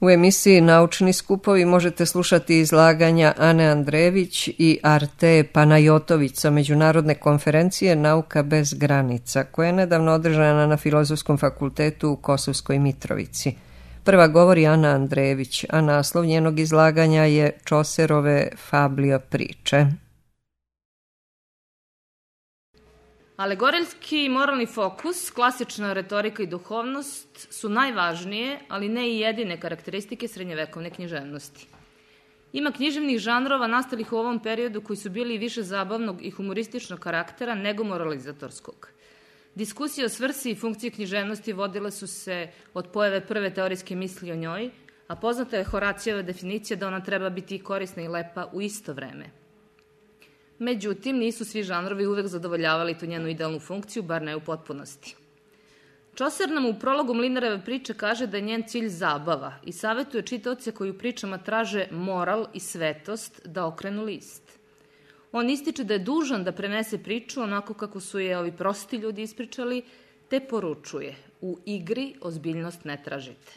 U emisiji Naučni skupovi možete slušati izlaganja Ane Andrejević i Arte Panajotović sa Međunarodne konferencije Nauka bez granica, koja je nedavno održana na Filozofskom fakultetu u Kosovskoj Mitrovici. Prva govori Ana Andrejević, a naslov njenog izlaganja je Čoserove Fablio priče. Alegorijski i moralni fokus, klasična retorika i duhovnost su najvažnije, ali ne i jedine karakteristike srednjevekovne književnosti. Ima književnih žanrova nastalih u ovom periodu koji su bili više zabavnog i humorističnog karaktera nego moralizatorskog. Diskusije o svrsi i funkciji književnosti vodile su se od pojave prve teorijske misli o njoj, a poznata je Horacijeva definicija da ona treba biti korisna i lepa u isto vreme. Međutim, nisu svi žanrovi uvek zadovoljavali tu njenu idealnu funkciju, bar ne u potpunosti. Čoser nam u prologu Mlinareve priče kaže da je njen cilj zabava i savetuje čitaoce koji u pričama traže moral i svetost da okrenu list. On ističe da je dužan da prenese priču onako kako su je ovi prosti ljudi ispričali, te poručuje: u igri ozbiljnost ne tražite.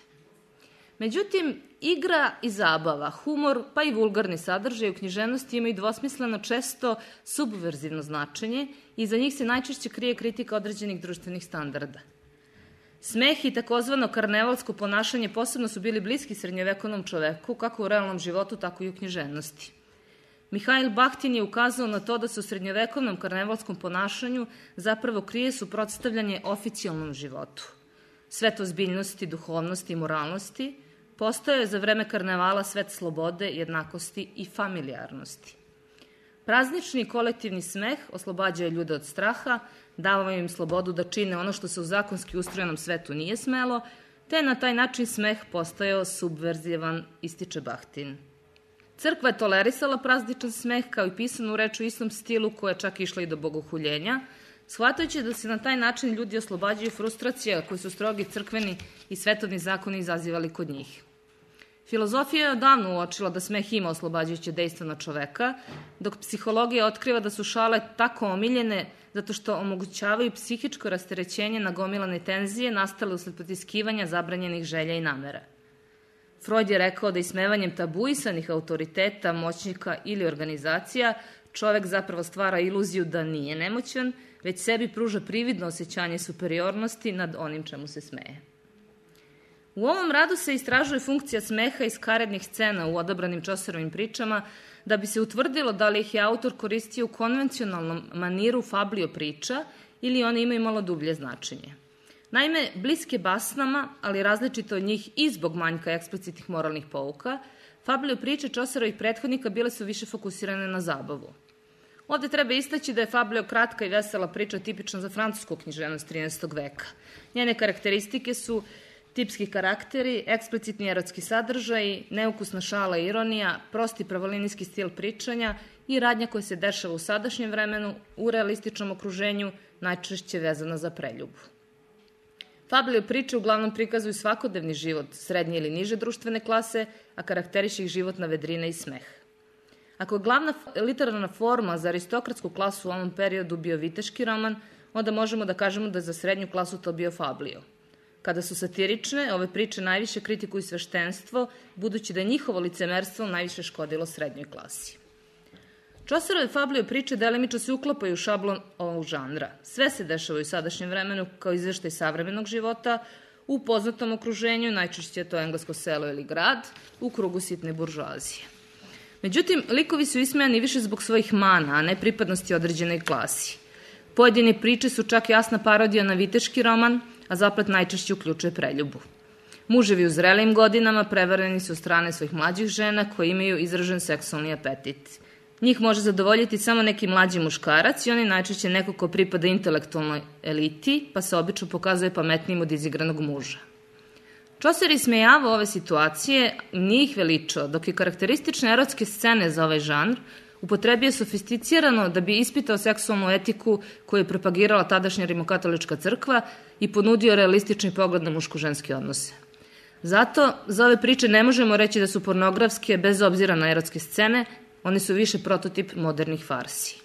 Međutim, igra i zabava, humor pa i vulgarni sadržaj u književnosti imaju dvosmisleno, često subverzivno značenje i za njih se najčešće krije kritika određenih društvenih standarda. Smeh i takozvano karnevalsko ponašanje posebno su bili bliski srednjevekovnom čoveku, kako u realnom životu, tako i u književnosti. Mihail Bahtin je ukazao na to da se u srednjevekovnom karnevalskom ponašanju zapravo krije suprotstavljanje oficijalnom životu. Svet ozbiljnosti, duhovnosti i moralnosti postao je za vreme karnevala svet slobode, jednakosti i familijarnosti. Praznični i kolektivni smeh oslobađaju ljude od straha, davao im slobodu da čine ono što se u zakonski ustrojenom svetu nije smelo, te na taj način smeh postajao subverzivan, ističe Bahtin. Crkva je tolerisala prazničan smeh kao i pisanu reč u istom stilu koja je čak išla i do bogohuljenja, shvatajući da se na taj način ljudi oslobađaju frustracija koje su strogi crkveni i svetovni zakoni izazivali kod njih. Filozofija je odavno uočila da smeh ima oslobađajuće dejstvo na čoveka, dok psihologija otkriva da su šale tako omiljene zato što omogućavaju psihičko rasterećenje nagomilane tenzije nastale usled potiskivanja zabranjenih želja i namera. Freud je rekao da ismevanjem tabuisanih autoriteta, moćnika ili organizacija čovek zapravo stvara iluziju da nije nemoćan, već sebi pruža prividno osjećanje superiornosti nad onim čemu se smeje. U ovom radu se istražuje funkcija smeha iz karednih scena u odabranim Čoserovim pričama da bi se utvrdilo da li ih je autor koristio u konvencionalnom maniru fablio priča ili one imaju malo dublje značenje. Naime, bliske basnama, ali različito od njih i zbog manjka eksplicitnih moralnih pouka, fablio priče Čoserovih prethodnika bile su više fokusirane na zabavu. Ovde treba istaći da je fablio kratka i vesela priča tipična za francusku književnost 13. veka. Njene karakteristike su tipski karakteri, eksplicitni erotski sadržaji, neukusna šala i ironija, prosti pravolinijski stil pričanja i radnja koja se dešava u sadašnjem vremenu, u realističnom okruženju, najčešće vezana za preljubu. Fablio priče uglavnom prikazuju svakodnevni život srednje ili niže društvene klase, a karakteriše ih životna vedrina i smeh. Ako je glavna literarna forma za aristokratsku klasu u ovom periodu bio viteški roman, onda možemo da kažemo da je za srednju klasu to bio fablio. Kada su satirične, ove priče najviše kritikuju sveštenstvo, budući da je njihovo licemerstvo najviše škodilo srednjoj klasi. Čoserove fablio priče delimično se uklapaju u šablon ovog žanra. Sve se dešava u sadašnjem vremenu kao izveštaj savremenog života, u poznatom okruženju, najčešće je to englesko selo ili grad, u krugu sitne buržoazije. Međutim, likovi su ismejani više zbog svojih mana, a ne pripadnosti određenoj klasi. Pojedine priče su čak jasna parodija na viteški roman, a zaplet najčešće uključuje preljubu. Muževi u zrelijim godinama prevareni su od strane svojih mlađih žena koji imaju izražen seksualni apetit. Njih može zadovoljiti samo neki mlađi muškarac i on je najčešće neko ko pripada intelektualnoj eliti, pa se obično pokazuje pametnijim od izigranog muža. Čoser ismejavao ove situacije, nije ih veličao, dok je karakteristične erotske scene za ovaj žanr upotrebio sofisticirano da bi ispitao seksualnu etiku koju je propagirala tadašnja rimokatolička crkva i ponudio realistični pogled na muško-ženske odnose. Zato, za ove priče ne možemo reći da su pornografske bez obzira na erotske scene, one su više prototip modernih farsi.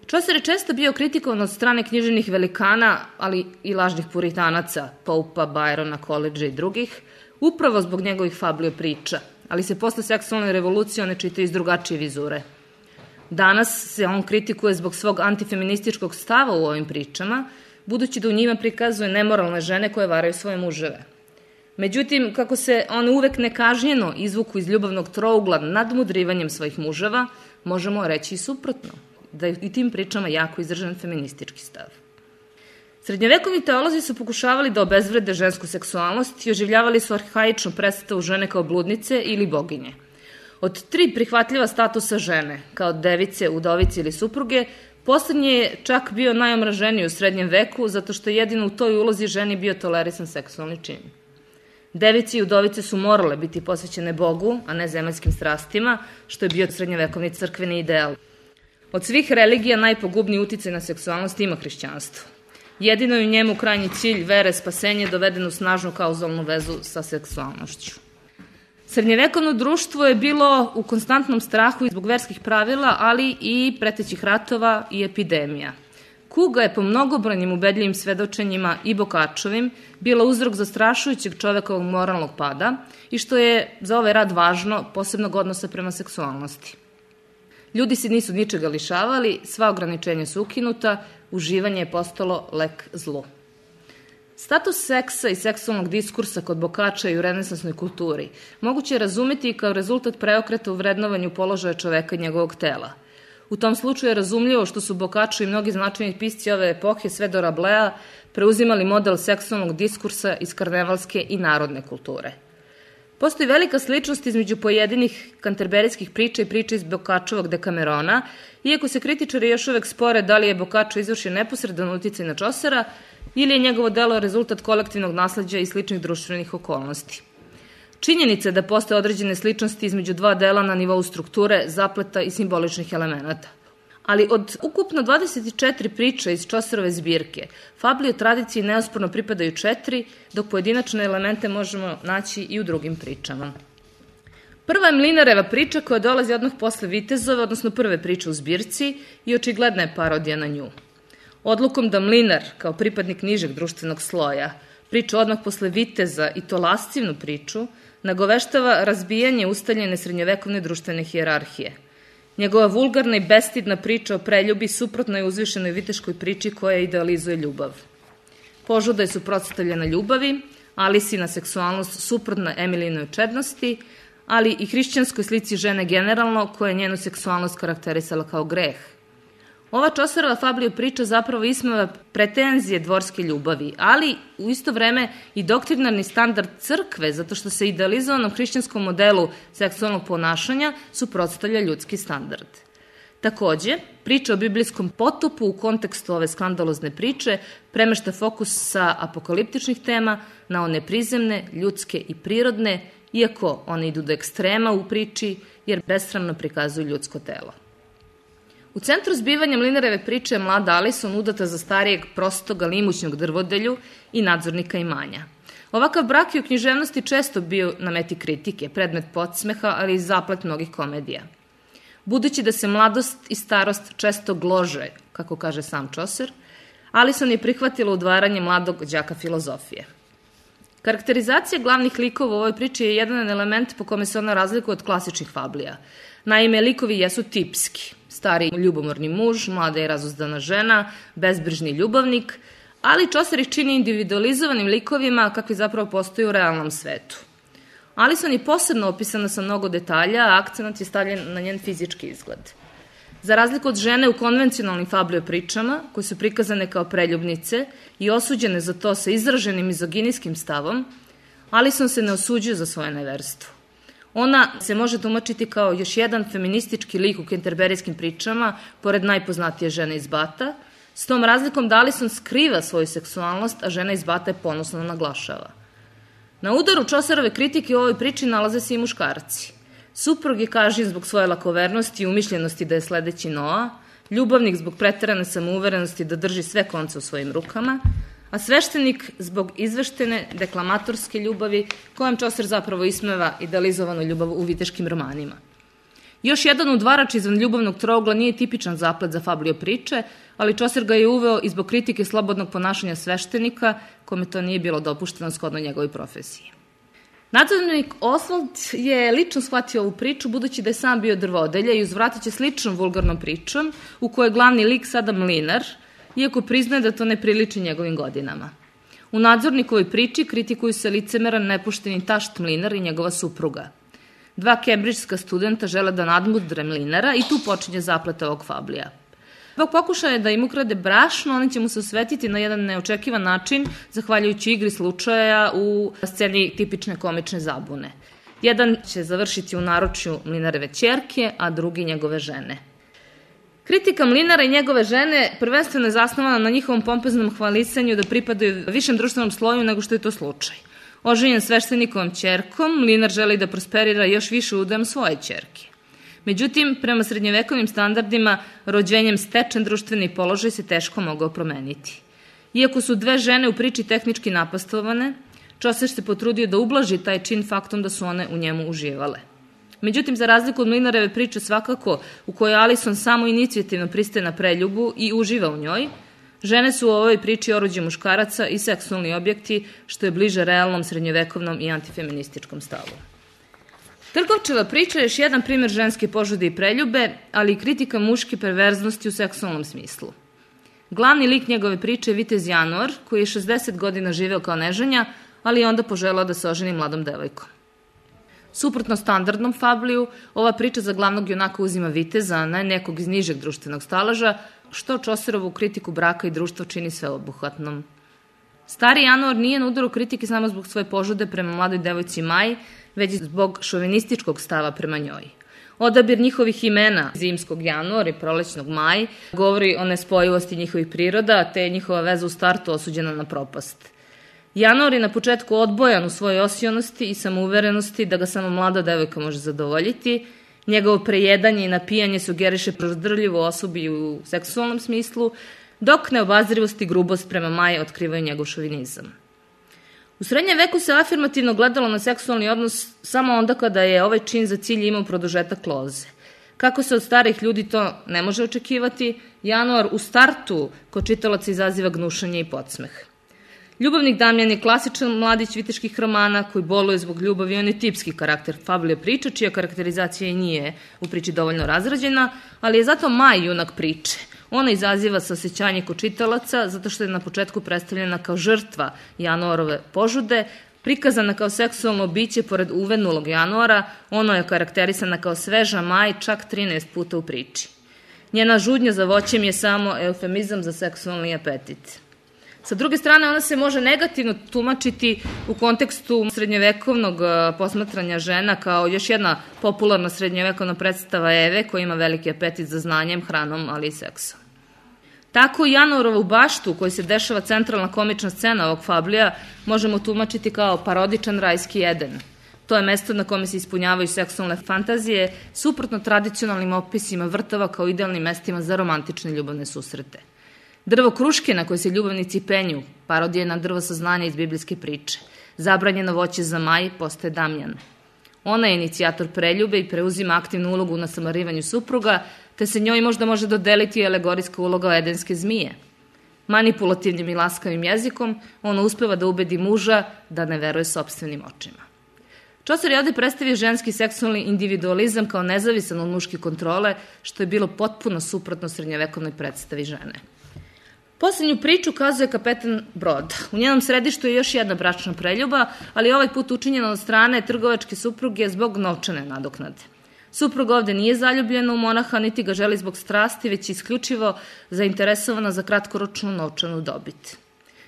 Čoser je često bio kritikovan od strane književnih velikana, ali i lažnih puritanaca, Popa, Byrona, Coleridgea i drugih, Upravo zbog njegovih fablio priča, ali se posle seksualne revolucije one čitaju iz drugačije vizure. Danas se on kritikuje zbog svog antifeminističkog stava u ovim pričama, budući da u njima prikazuje nemoralne žene koje varaju svoje muževe. Međutim, kako se one uvek nekažnjeno izvuku iz ljubavnog trougla nadmudrivanjem svojih muževa, možemo reći i suprotno, da je i tim pričama jako izražen feministički stav. Srednjovekovni teolozi su pokušavali da obezvrede žensku seksualnost i oživljavali su arhaičnu predstavu žene kao bludnice ili boginje. Od 3 prihvatljiva statusa žene, kao device, udovice ili supruge, poslednji je čak bio najomraženiji u srednjem veku, zato što je jedino u toj ulozi ženi bio tolerisan seksualni čin. Device i udovice su morale biti posvećene Bogu, a ne zemaljskim strastima, što je bio srednjovekovni crkveni ideal. Od svih religija najpogubniji uticaj na seksualnost ima hrišćanstvo. Jedino je u njemu krajnji cilj vere, spasenje, doveden u snažnu kauzalnu vezu sa seksualnošću. Srednjevekovno društvo je bilo u konstantnom strahu zbog verskih pravila, ali i pretećih ratova i epidemija. Kuga je po mnogobrojnim ubedljivim svedočenjima i Bokačovim bila uzrok zastrašujućeg čovekovog moralnog pada i što je za ovaj rad važno, posebnog odnosa prema seksualnosti. Ljudi se nisu ničega lišavali, sva ograničenja su ukinuta, uživanje je postalo lek zlu. Status seksa i seksualnog diskursa kod Bokača i u renesansnoj kulturi moguće je razumeti kao rezultat preokreta u vrednovanju položaja čoveka i njegovog tela. U tom slučaju je razumljivo što su Bokačo i mnogi značajni pisci ove epohe sve do Rablea preuzimali model seksualnog diskursa iz karnevalske i narodne kulture. Postoji velika sličnost između pojedinih kanterberijskih priča i priča iz Bokačovog Dekamerona, iako se kritičari još uvek spore da li je Bokačo izvršio neposredan uticaj na Čosera ili je njegovo delo rezultat kolektivnog nasleđa i sličnih društvenih okolnosti. Činjenica je da postoje određene sličnosti između dva dela na nivou strukture, zapleta i simboličnih elemenata. Ali od ukupno 24 priča iz Čoserove zbirke, fabli o tradiciji neosporno pripadaju 4, dok pojedinačne elemente možemo naći i u drugim pričama. Prva je Mlinareva priča koja dolazi odmah posle Vitezove, odnosno prve priče u zbirci i očigledna je parodija na nju. Odlukom da Mlinar, kao pripadnik nižeg društvenog sloja, priča odmah posle Viteza i to lascivnu priču, nagoveštava razbijanje ustaljene srednjovekovne društvene hijerarhije. Njegova vulgarna i bestidna priča o preljubi suprotno je uzvišenoj viteškoj priči koja idealizuje ljubav. Požuda je suprotstavljena ljubavi, Alisina seksualnost suprotna Emilijinoj čednosti, ali i hrišćanskoj slici žene generalno koja je njenu seksualnost karakterisala kao greh. Ova Čoserova fablio priča zapravo ismeva pretenzije dvorske ljubavi, ali u isto vreme i doktrinarni standard crkve, zato što se idealizovanom hrišćanskom modelu seksualnog ponašanja suprotstavlja ljudski standard. Takođe, priča o biblijskom potopu u kontekstu ove skandalozne priče premešta fokus sa apokaliptičnih tema na one prizemne, ljudske i prirodne, iako one idu do ekstrema u priči jer besramno prikazuju ljudsko telo. U centru zbivanja Mlinareve priče je mlada Alison udata za starijeg, prostog, ali imućnog drvodelju i nadzornika imanja. Ovakav brak je u književnosti često bio na meti kritike, predmet podsmeha, ali i zaplet mnogih komedija. Budući da se mladost i starost često glože, kako kaže sam Čoser, Alison je prihvatila udvaranje mladog đaka filozofije. Karakterizacija glavnih likova u ovoj priči je jedan element po kome se ona razlikuje od klasičnih fablija. Naime, likovi jesu tipski. Stari ljubomorni muž, mlada i razuzdana žena, bezbrižni ljubavnik, ali Čoser ih čini individualizovanim likovima kakvi zapravo postoji u realnom svetu. Alison je posebno opisana sa mnogo detalja, a akcenat je stavljen na njen fizički izgled. Za razliku od žene u konvencionalnim fablio pričama, koje su prikazane kao preljubnice i osuđene za to sa izraženim mizoginijskim stavom, Alison se ne osuđuje za svoje neverstvo. Ona se može tumačiti kao još jedan feministički lik u kenterberijskim pričama, pored najpoznatije žene iz Bata, s tom razlikom da Alison skriva svoju seksualnost, a žena iz Bata je ponosno naglašava. Na udaru Čoserove kritike u ovoj priči nalaze se i muškarci. Suprug je kažnjen zbog svoje lakovernosti i umišljenosti da je sledeći Noa, ljubavnik zbog preterane samouverenosti da drži sve konce u svojim rukama, a sveštenik zbog izveštene deklamatorske ljubavi kojom Čoser zapravo ismeva idealizovanu ljubav u viteškim romanima. Još jedan udvarač izvan ljubavnog trougla nije tipičan zaplet za fablio priče, ali Čoser ga je uveo i zbog kritike slobodnog ponašanja sveštenika, kome to nije bilo dopušteno shodno njegovoj profesiji. Nadzornik Oswald je lično shvatio ovu priču budući da je sam bio drvodelja i uzvratit će sličnom vulgarnom pričom u kojoj je glavni lik sada mlinar, iako priznaje da to ne priliči njegovim godinama. U nadzornikovoj priči kritikuju se licemeran nepošteni tašt mlinar i njegova supruga. Dva kembridžska studenta žele da nadmudre mlinara i tu počinje zapleta ovog fablija. Zbog pokušaja da im ukrade brašno, oni će mu se osvetiti na jedan neočekivan način, zahvaljujući igri slučaja u sceni tipične komične zabune. Jedan će završiti u naručju mlinareve ćerke, a drugi njegove žene. Kritika mlinara i njegove žene prvenstveno je zasnovana na njihovom pompeznom hvalisanju da pripadaju višem društvenom sloju nego što je to slučaj. Oženjen sveštenikovom ćerkom, mlinar želi da prosperira još više udajem svoje ćerke. Međutim, prema srednjevekovnim standardima, rođenjem stečen društveni položaj se teško mogao promeniti. Iako su dve žene u priči tehnički napastovane, Čoser se potrudio da ublaži taj čin faktom da su one u njemu uživale. Međutim, za razliku od mlinareve priče svakako, u kojoj Alison samo inicijativno pristaje na preljubu i uživa u njoj, žene su u ovoj priči oruđe muškaraca i seksualni objekti, što je bliže realnom srednjevekovnom i antifeminističkom stavu. Trgovčeva priča je još jedan primjer ženske požude i preljube, ali i kritika muške perverznosti u seksualnom smislu. Glavni lik njegove priče je vitez Januar, koji je 60 godina živeo kao neženja, ali je onda poželao da se oženi mladom devojkom. Suprotno standardnom fabliju, ova priča za glavnog junaka uzima viteza, a ne nekog iz nižeg društvenog staleža, što Čoserovu kritiku braka i društva čini sveobuhvatnom. Stari Januar nije na udaru kritike samo zbog svoje požude prema mladoj devojci Maji, već i zbog šovinističkog stava prema njoj. Odabir njihovih imena, zimskog Januar i prolećnog Maj, govori o nespojivosti njihovih priroda, te je njihova veza u startu osuđena na propast. Januar je na početku odbojan u svojoj osionosti i samouverenosti da ga samo mlada devojka može zadovoljiti. Njegovo prejedanje i napijanje sugeriše prozdrljivu osobu i u seksualnom smislu, dok neobazrivost i grubost prema Maji otkrivaju njegov šovinizam. U srednjem veku se afirmativno gledalo na seksualni odnos samo onda kada je ovaj čin za cilj imao produžetak loze. Kako se od starih ljudi to ne može očekivati, Januar u startu kod čitalaca izaziva gnušanje i podsmeh. Ljubavnik Damjan je klasičan mladić viteških romana koji boluje zbog ljubavi, on je tipski karakter fabule priče, čija karakterizacija i nije u priči dovoljno razrađena, ali je zato Maj junak priče. Ona izaziva saosećanje kod čitalaca zato što je na početku predstavljena kao žrtva Januarove požude, prikazana kao seksualno biće pored uvenulog Januara, ono je karakterisana kao sveža Maj čak 13 puta u priči. Njena žudnja za voćem je samo eufemizam za seksualni apetit. Sa druge strane, ona se može negativno tumačiti u kontekstu srednjevekovnog posmatranja žena kao još jedna popularna srednjevekovna predstava Eve koja ima veliki apetit za znanjem, hranom, ali i seksom. Tako i Januarovu baštu u kojoj se dešava centralna komična scena ovog fablija možemo tumačiti kao parodičan rajski Eden. To je mesto na kome se ispunjavaju seksualne fantazije, suprotno tradicionalnim opisima vrtova kao idealnim mestima za romantične ljubavne susrete. Drvo kruške na koje se ljubavnici penju, parodije na drvo saznanja iz biblijske priče. Zabranjeno voće za Maj postaje Damjan. Ona je inicijator preljube i preuzima aktivnu ulogu u nasamarivanju supruga, te se njoj možda može dodeliti alegorijska uloga edenske zmije. Manipulativnim i laskavim jezikom, ona uspeva da ubedi muža da ne veruje sopstvenim očima. Čoser je ovde predstavio ženski seksualni individualizam kao nezavisan od muške kontrole, što je bilo potpuno suprotno srednjevekovnoj predstavi žene. Poslednju priču kazuje kapetan broda. U njenom središtu je još jedna bračna preljuba, ali ovaj put učinjena od strane trgovačke supruge zbog novčane nadoknade. Supruga ovde nije zaljubljena u monaha, niti ga želi zbog strasti, već isključivo zainteresovana za kratkoročnu novčanu dobit.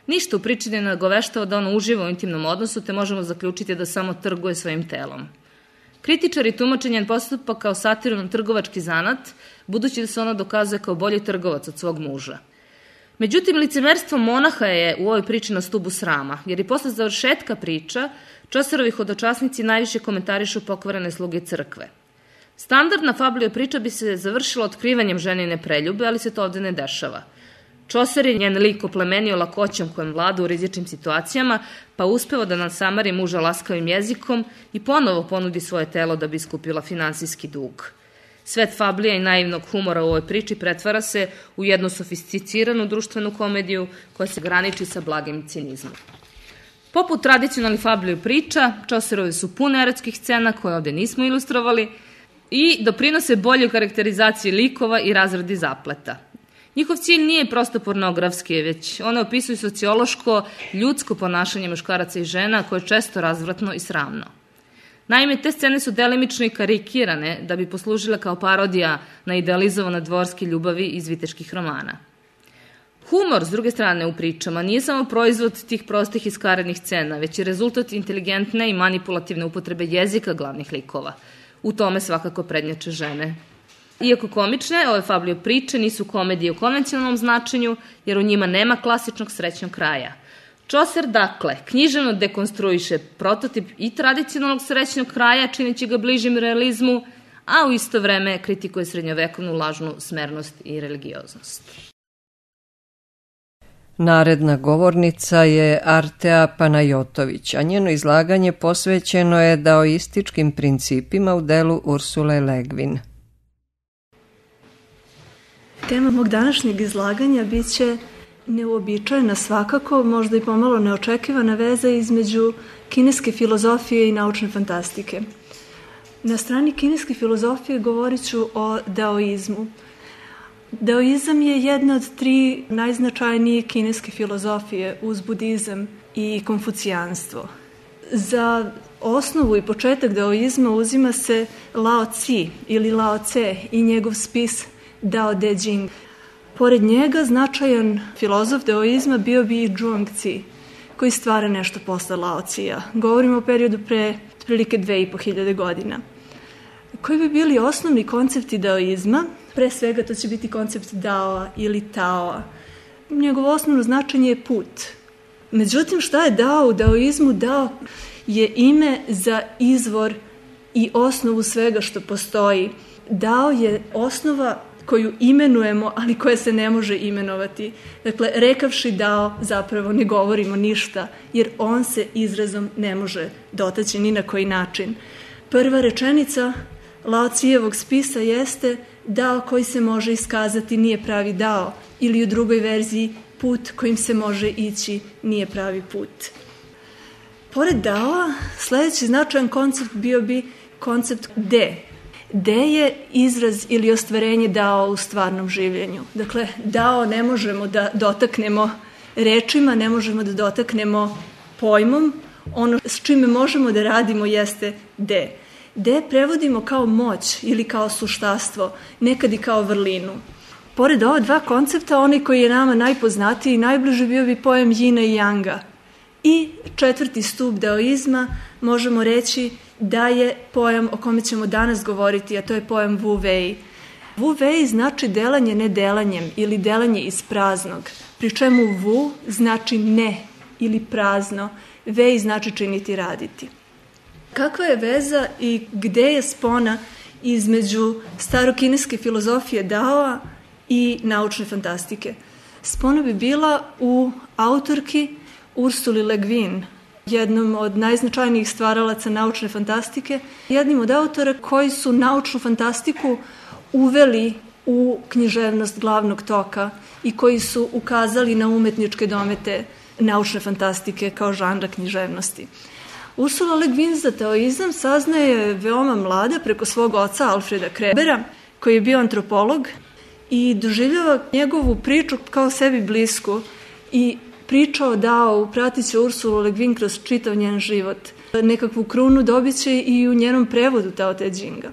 Ništa u priči ne nagoveštava da ona uživa u intimnom odnosu, te možemo zaključiti da samo trguje svojim telom. Kritičari tumače njen postupak kao satiru na trgovački zanat, budući da se ona dokazuje kao bolji trgovac od svog muža. Međutim, licemerstvo monaha je u ovoj priči na stubu srama, jer i posle završetka priča Čoserovi hodočasnici najviše komentarišu pokvarene sluge crkve. Standardna fablija priča bi se završila otkrivanjem ženine preljube, ali se to ovde ne dešava. Čoser je njen lik oplemenio lakoćom kojem vlada u rizičnim situacijama, pa uspeva da nasamari muža laskavim jezikom i ponovo ponudi svoje telo da bi iskupila finansijski dug. Svet fablija i naivnog humora u ovoj priči pretvara se u jednu sofisticiranu društvenu komediju koja se graniči sa blagim cinizmom. Poput tradicionalnih fabula priča, Chaucerove su pune erotskih scena koje ovde nismo ilustrovali i doprinose boljoj karakterizaciji likova i razradi zapleta. Njihov cilj nije prosto pornografski, već one opisuju sociološko, ljudsko ponašanje muškaraca i žena koje je često razvratno i sramno. Naime, te scene su delimično i karikirane da bi poslužile kao parodija na idealizovane dvorske ljubavi iz viteških romana. Humor, s druge strane, u pričama nije samo proizvod tih prostih i skarednih scena, već je rezultat inteligentne i manipulativne upotrebe jezika glavnih likova. U tome svakako prednjače žene. Iako komične, ove fabule priče nisu komedije u konvencionalnom značenju, jer u njima nema klasičnog srećnog kraja. Chaucer, dakle, književno dekonstruiše prototip i tradicionalnog srećnog kraja, čineći ga bližim realizmu, a u isto vreme kritikuje srednjovekovnu lažnu smernost i religioznost. Naredna govornica je Artea Panajotović, a njeno izlaganje posvećeno je daoističkim principima u delu Ursule Le Guin. Tema mog današnjeg izlaganja biće neuobičajena svakako, možda i pomalo neočekivana veza između kineske filozofije i naučne fantastike. Na strani kineske filozofije govorit ću o daoizmu. Daoizam je jedna od 3 najznačajnije kineske filozofije uz budizam i konfucijanstvo. Za osnovu i početak daoizma uzima se Lao Tzu ili Lao Tse i njegov spis Dao De Jing. Pored njega značajan filozof daoizma bio bi i Zhuang Zi, koji stvara nešto posle Lao Tzu-a. Govorimo o periodu pre otprilike 2500 godina. Koji bi bili osnovni koncepti daoizma? Pre svega to će biti koncept Daoa ili Taoa. Njegovo osnovno značenje je put. Međutim, šta je Dao u daoizmu? Dao je ime za izvor i osnovu svega što postoji. Dao je osnova koju imenujemo, ali koja se ne može imenovati. Dakle, rekavši Dao zapravo ne govorimo ništa, jer on se izrazom ne može dotaći ni na koji način. Prva rečenica Lao Tzu-evog spisa jeste Dao koji se može iskazati nije pravi Dao, ili u drugoj verziji put kojim se može ići nije pravi put. Pored Daoa, sledeći značajan koncept bio bi koncept De. De je izraz ili ostvarenje Dao u stvarnom življenju. Dakle, Dao ne možemo da dotaknemo rečima, ne možemo da dotaknemo pojmom. Ono s čime možemo da radimo jeste De. De prevodimo kao moć ili kao suštastvo, nekad i kao vrlinu. Pored ova 2 koncepta, onaj koji je nama najpoznatiji i najbliži bio bi pojam Yina i Yanga. I 4. stup daoizma možemo reći da je pojam o kome ćemo danas govoriti, a to je pojam Wu Wei. Wu Wei znači delanje nedelanjem ili delanje iz praznog, pri čemu Wu znači ne ili prazno, Wei znači činiti, raditi. Kakva je veza i gde je spona između starokineske filozofije Daoa i naučne fantastike? Spona bi bila u autorki Ursuli Le Guin, jednom od najznačajnijih stvaralaca naučne fantastike, jednim od autora koji su naučnu fantastiku uveli u književnost glavnog toka i koji su ukazali na umetničke domete naučne fantastike kao žanra književnosti. Ursula Le Guin za daoizam saznaje veoma mlada preko svog oca Alfreda Krebera, koji je bio antropolog i doživljava njegovu priču kao sebi blisku i priča o Dao pratit će Ursulu Le Guin kroz čitav njen život. Nekakvu krunu dobit će i u njenom prevodu Dao De Jinga.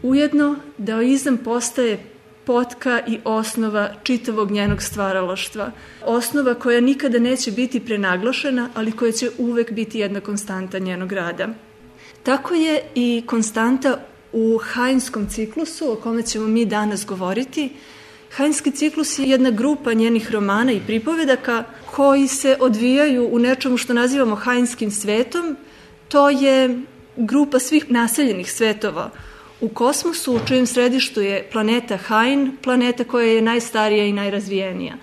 Ujedno, daoizam postaje potka i osnova čitavog njenog stvaralaštva. Osnova koja nikada neće biti prenaglašena, ali koja će uvek biti jedna konstanta njenog rada. Tako je i konstanta u Hainskom ciklusu, o kome ćemo mi danas govoriti. Hainski ciklus je jedna grupa njenih romana i pripovedaka koji se odvijaju u nečemu što nazivamo Hainskim svetom. To je grupa svih naseljenih svetova u kosmosu, u čijem središtu je planeta Hain, planeta koja je najstarija i najrazvijenija.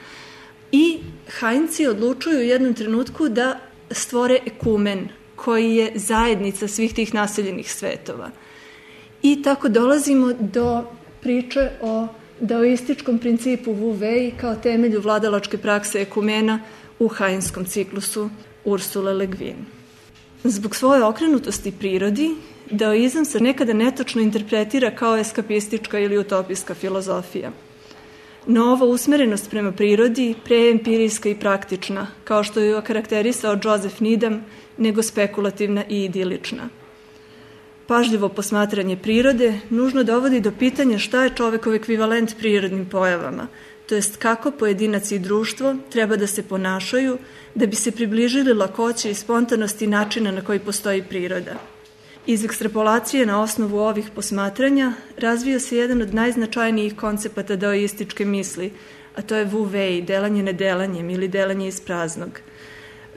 I Hainci odlučuju u jednom trenutku da stvore ekumen, koji je zajednica svih tih naseljenih svetova. I tako dolazimo do priče o daoističkom principu Wu Wei kao temelju vladalačke prakse ekumena u Hainskom ciklusu Ursule Le Guin. Zbog svoje okrenutosti prirodi, daoizam se nekada netočno interpretira kao eskapistička ili utopijska filozofija. No ova usmerenost prema prirodi preempirijska i praktična, kao što ju je okarakterisao Joseph Needham, nego spekulativna i idilična. Pažljivo posmatranje prirode nužno dovodi do pitanja šta je čovekov ekvivalent prirodnim pojavama, to jest kako pojedinac i društvo treba da se ponašaju da bi se približili lakoći i spontanosti načina na koji postoji priroda. Iz ekstrapolacije na osnovu ovih posmatranja razvio se jedan od najznačajnijih koncepata daoističke misli, a to je Wu Wei, delanje nedelanjem ili delanje iz praznog.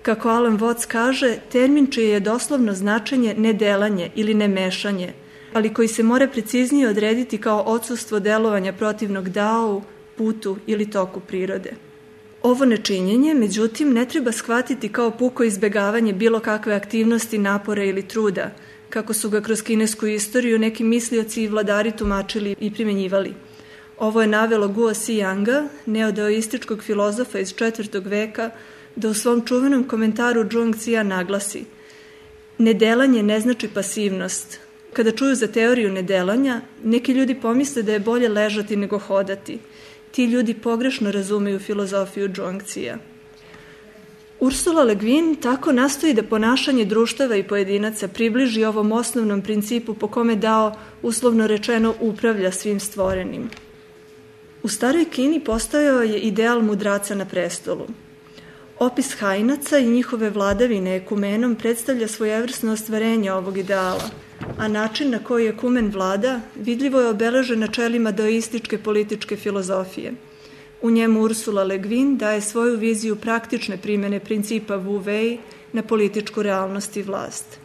Kako Alan Watts kaže, termin čije je doslovno značenje nedelanje ili nemešanje, ali koji se mora preciznije odrediti kao odsustvo delovanja protivnog Dao, putu ili toku prirode. Ovo nečinjenje, međutim, ne treba shvatiti kao puko izbegavanje bilo kakve aktivnosti, napora ili truda, kako su ga kroz kinesku istoriju neki mislioci i vladari tumačili i primenjivali. Ovo je navelo Guo Ziyanga, neodaoističkog filozofa iz 4. veka, da u svom čuvenom komentaru Zhuangzija naglasi: nedelanje ne znači pasivnost. Kada čuju za teoriju nedelanja, neki ljudi pomisle da je bolje ležati nego hodati. Ti ljudi pogrešno razumeju filozofiju Zhuangzija. Ursula Le Guin tako nastoji da ponašanje društava i pojedinaca približi ovom osnovnom principu po kome Dao, uslovno rečeno, upravlja svim stvorenim. U staroj Kini postojao je ideal mudraca na prestolu. Opis Hainaca i njihove vladavine ekumenom predstavlja svojevrsno ostvarenje ovog ideala, a način na koji ekumen vlada vidljivo je obeležen načelima daoističke političke filozofije. U njemu Ursula Le Guin daje svoju viziju praktične primene principa Wu Wei na političku realnost i vlast.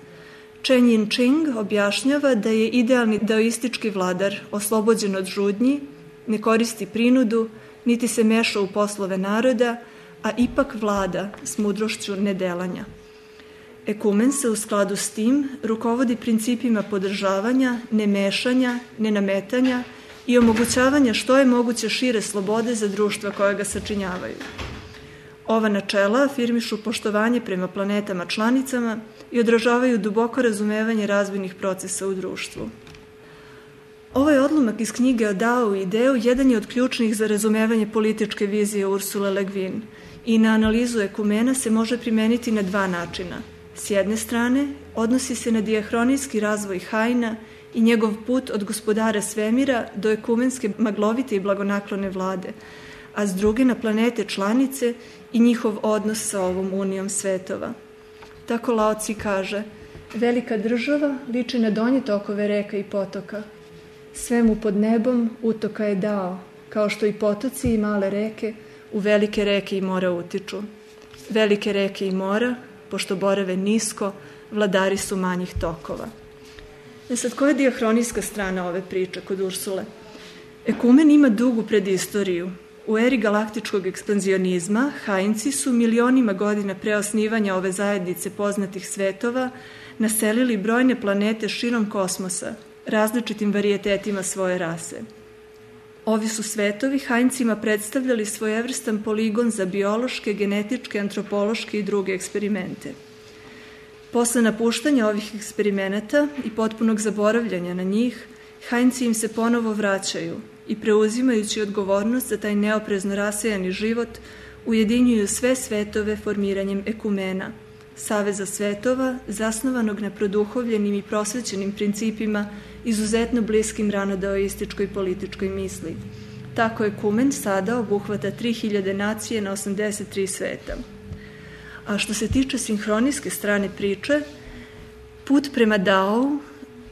Chen Yinqing objašnjava da je idealni daoistički vladar oslobođen od žudnji, ne koristi prinudu, niti se meša u poslove naroda, a ipak vlada s mudrošću nedelanja. Ekumen se u skladu s tim rukovodi principima podržavanja, nemešanja, nenametanja i omogućavanja što je moguće šire slobode za društva koje ga sačinjavaju. Ova načela afirmišu poštovanje prema planetama članicama i odražavaju duboko razumevanje razvojnih procesa u društvu. Ovaj odlomak iz knjige o Dao i ideu jedan je od ključnih za razumevanje političke vizije Ursule Le Guin i na analizu ekumena se može primeniti na dva načina. S jedne strane, odnosi se na dijahronijski razvoj Haina i njegov put od gospodara svemira do ekumenske maglovite i blagonaklone vlade, a s druge na planete članice i njihov odnos sa ovom unijom svetova. Tako Lao Tzu kaže: velika država liči na donje tokove reka i potoka. Svemu pod nebom utoka je Dao, kao što i potoci i male reke u velike reke i mora utiču. Velike reke i mora, pošto borave nisko, vladari su manjih tokova. Sad, koja je dijahronijska strana ove priče kod Ursule? Ekumen ima dugu predistoriju. U eri galaktičkog ekspanzionizma Hainci su milionima godina pre osnivanja ove zajednice poznatih svetova naselili brojne planete širom kosmosa, različitim varijetetima svoje rase. Ovi su svetovi Haincima predstavljali svojevrstan poligon za biološke, genetičke, antropološke i druge eksperimente. Posle napuštanja ovih eksperimenata i potpunog zaboravljanja na njih, Hainci im se ponovo vraćaju i preuzimajući odgovornost za taj neoprezno rasejani život, ujedinjuju sve svetove formiranjem ekumena, saveza svetova zasnovanog na produhovljenim i prosvećenim principima izuzetno bliskim ranodaoističkoj političkoj misli. Tako ekumen sada obuhvata 3000 nacije na 83 sveta. A što se tiče sinhronijske strane priče, put prema Dao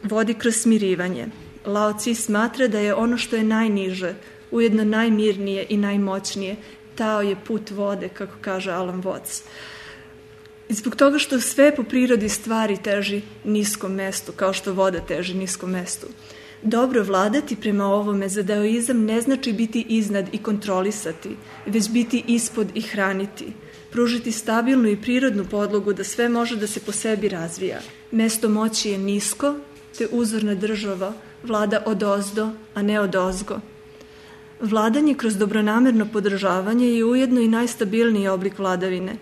vodi kroz smirivanje. Lao Tzu smatra da je ono što je najniže, ujedno najmirnije i najmoćnije. Tao je put vode, kako kaže Alan Watts. I zbog toga što sve po prirodi stvari teži niskom mestu, kao što voda teži niskom mestu. Dobro vladati prema ovome za daoizam ne znači biti iznad i kontrolisati, već biti ispod i hraniti, pružiti stabilnu i prirodnu podlogu da sve može da se po sebi razvija. Mesto moći je nisko, te uzorna država vlada odozdo, a ne odozgo. Vladanje kroz dobronamerno podržavanje je ujedno i najstabilniji oblik vladavine.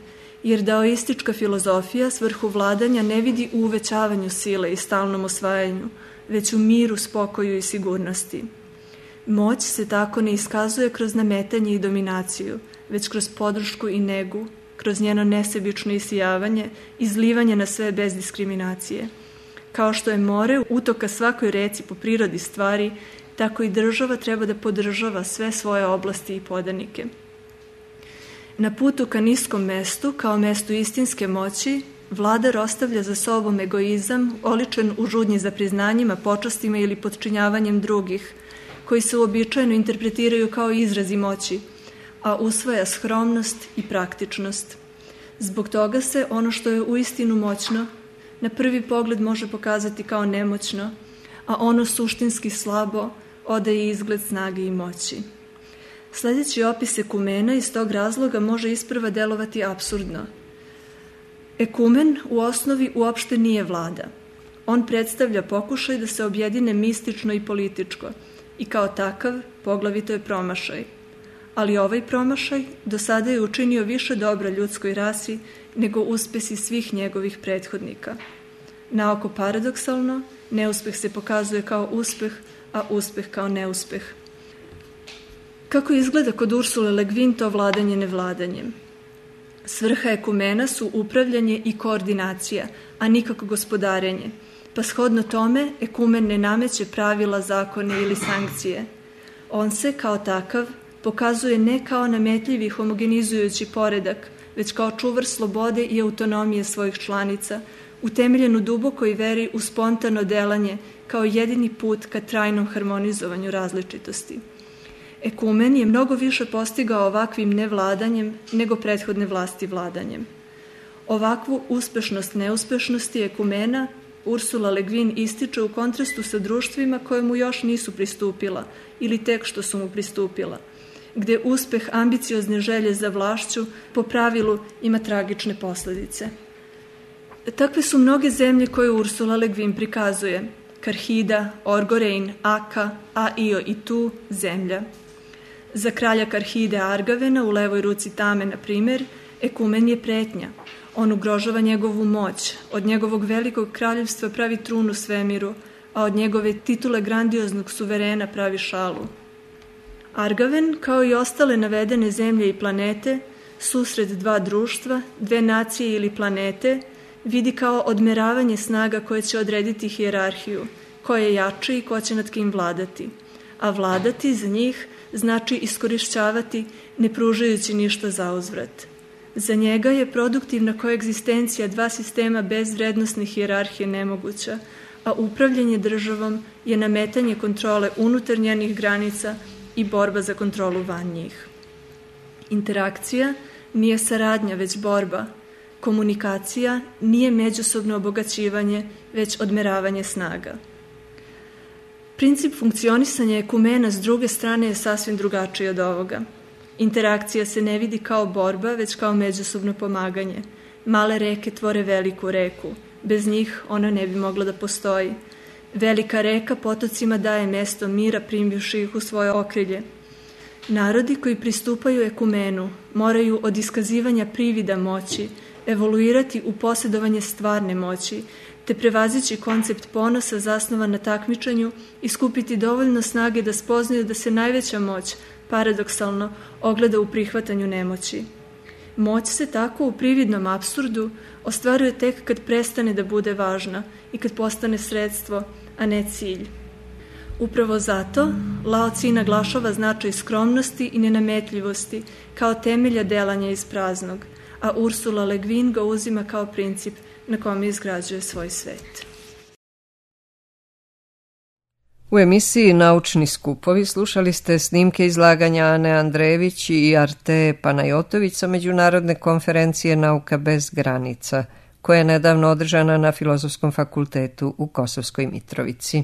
jer daoistička filozofija svrhu vladanja ne vidi u uvećavanju sile i stalnom osvajanju, već u miru, spokoju i sigurnosti. Moć se tako ne iskazuje kroz nametanje i dominaciju, već kroz podršku i negu, kroz njeno nesebično isijavanje, izlivanje na sve bez diskriminacije. Kao što je more utoka svakoj reci po prirodi stvari, tako i država treba da podržava sve svoje oblasti i podanike. Na putu ka niskom mestu, kao mestu istinske moći, vladar ostavlja za sobom egoizam, oličen u žudnji za priznanjima, počastima ili potčinjavanjem drugih, koji se uobičajeno interpretiraju kao izrazi moći, a usvaja skromnost i praktičnost. Zbog toga se ono što je uistinu moćno na prvi pogled može pokazati kao nemoćno, a ono suštinski slabo odaje izgled snage i moći. Sledeći opis ekumena iz tog razloga može isprva delovati apsurdno. Ekumen u osnovi uopšte nije vlada. On predstavlja pokušaj da se objedine mistično i političko i kao takav poglavito je promašaj. Ali ovaj promašaj do sada je učinio više dobra ljudskoj rasi nego uspesi svih njegovih prethodnika. Naoko paradoksalno, neuspeh se pokazuje kao uspeh, a uspeh kao neuspeh. Kako izgleda kod Ursule Le Guin to vladanje nevladanjem? Svrha ekumena su upravljanje i koordinacija, a nikako gospodarenje, pa shodno tome ekumen ne nameće pravila, zakone ili sankcije. On se, kao takav, pokazuje ne kao nametljivi homogenizujući poredak, već kao čuvar slobode i autonomije svojih članica, utemeljen u dubokoj veri u spontano delanje kao jedini put ka trajnom harmonizovanju različitosti. Ekumen je mnogo više postigao ovakvim nevladanjem nego prethodne vlasti vladanjem. Ovakvu uspešnost neuspešnosti ekumena Ursula Le Guin ističe u kontrastu sa društvima koje mu još nisu pristupila ili tek što su mu pristupila, gde uspeh ambiciozne želje za vlašću po pravilu ima tragične posledice. Takve su mnoge zemlje koje Ursula Le Guin prikazuje: Karhida, Orgorein, Aka, Aio i Tu, zemlja. Za kralja Karhide Argavena u levoj ruci Tame, na primer, ekumen je pretnja. On ugrožava njegovu moć, od njegovog velikog kraljevstva pravi trunu svemiru, a od njegove titule grandioznog suverena pravi šalu. Argaven, kao i ostale navedene zemlje i planete, susret dva društva, dve nacije ili planete, vidi kao odmeravanje snaga koje će odrediti hijerarhiju, ko je jači i ko će nad kim vladati. A vladati za njih znači iskorišćavati, ne pružajući ništa za uzvrat. Za njega je produktivna koegzistencija dva sistema bez vrednosne hijerarhije nemoguća, a upravljanje državom je nametanje kontrole unutar njenih granica i borba za kontrolu van njih. Interakcija nije saradnja, već borba. Komunikacija nije međusobno obogaćivanje, već odmeravanje snaga. Princip funkcionisanja ekumena s druge strane je sasvim drugačiji od ovoga. Interakcija se ne vidi kao borba, već kao međusobno pomaganje. Male reke tvore veliku reku. Bez njih ona ne bi mogla da postoji. Velika reka potocima daje mesto mira primivši ih u svoje okrilje. Narodi koji pristupaju ekumenu moraju od iskazivanja privida moći evoluirati u posjedovanje stvarne moći, te prevazići koncept ponosa zasnovan na takmičenju i skupiti dovoljno snage da spoznaju da se najveća moć, paradoksalno, ogleda u prihvatanju nemoći. Moć se tako u prividnom apsurdu ostvaruje tek kad prestane da bude važna i kad postane sredstvo, a ne cilj. Upravo zato Lao Tzu naglašava značaj skromnosti i nenametljivosti kao temelja delanja iz praznog, a Ursula Le Guin ga uzima kao princip na kome izgrađuje svoj svet. U emisiji Naučni skupovi slušali ste snimke izlaganja Ane Andrejević i Arte Panajotović sa Međunarodne konferencije Nauka bez granica, koja je nedavno održana na Filozofskom fakultetu u Kosovskoj Mitrovici.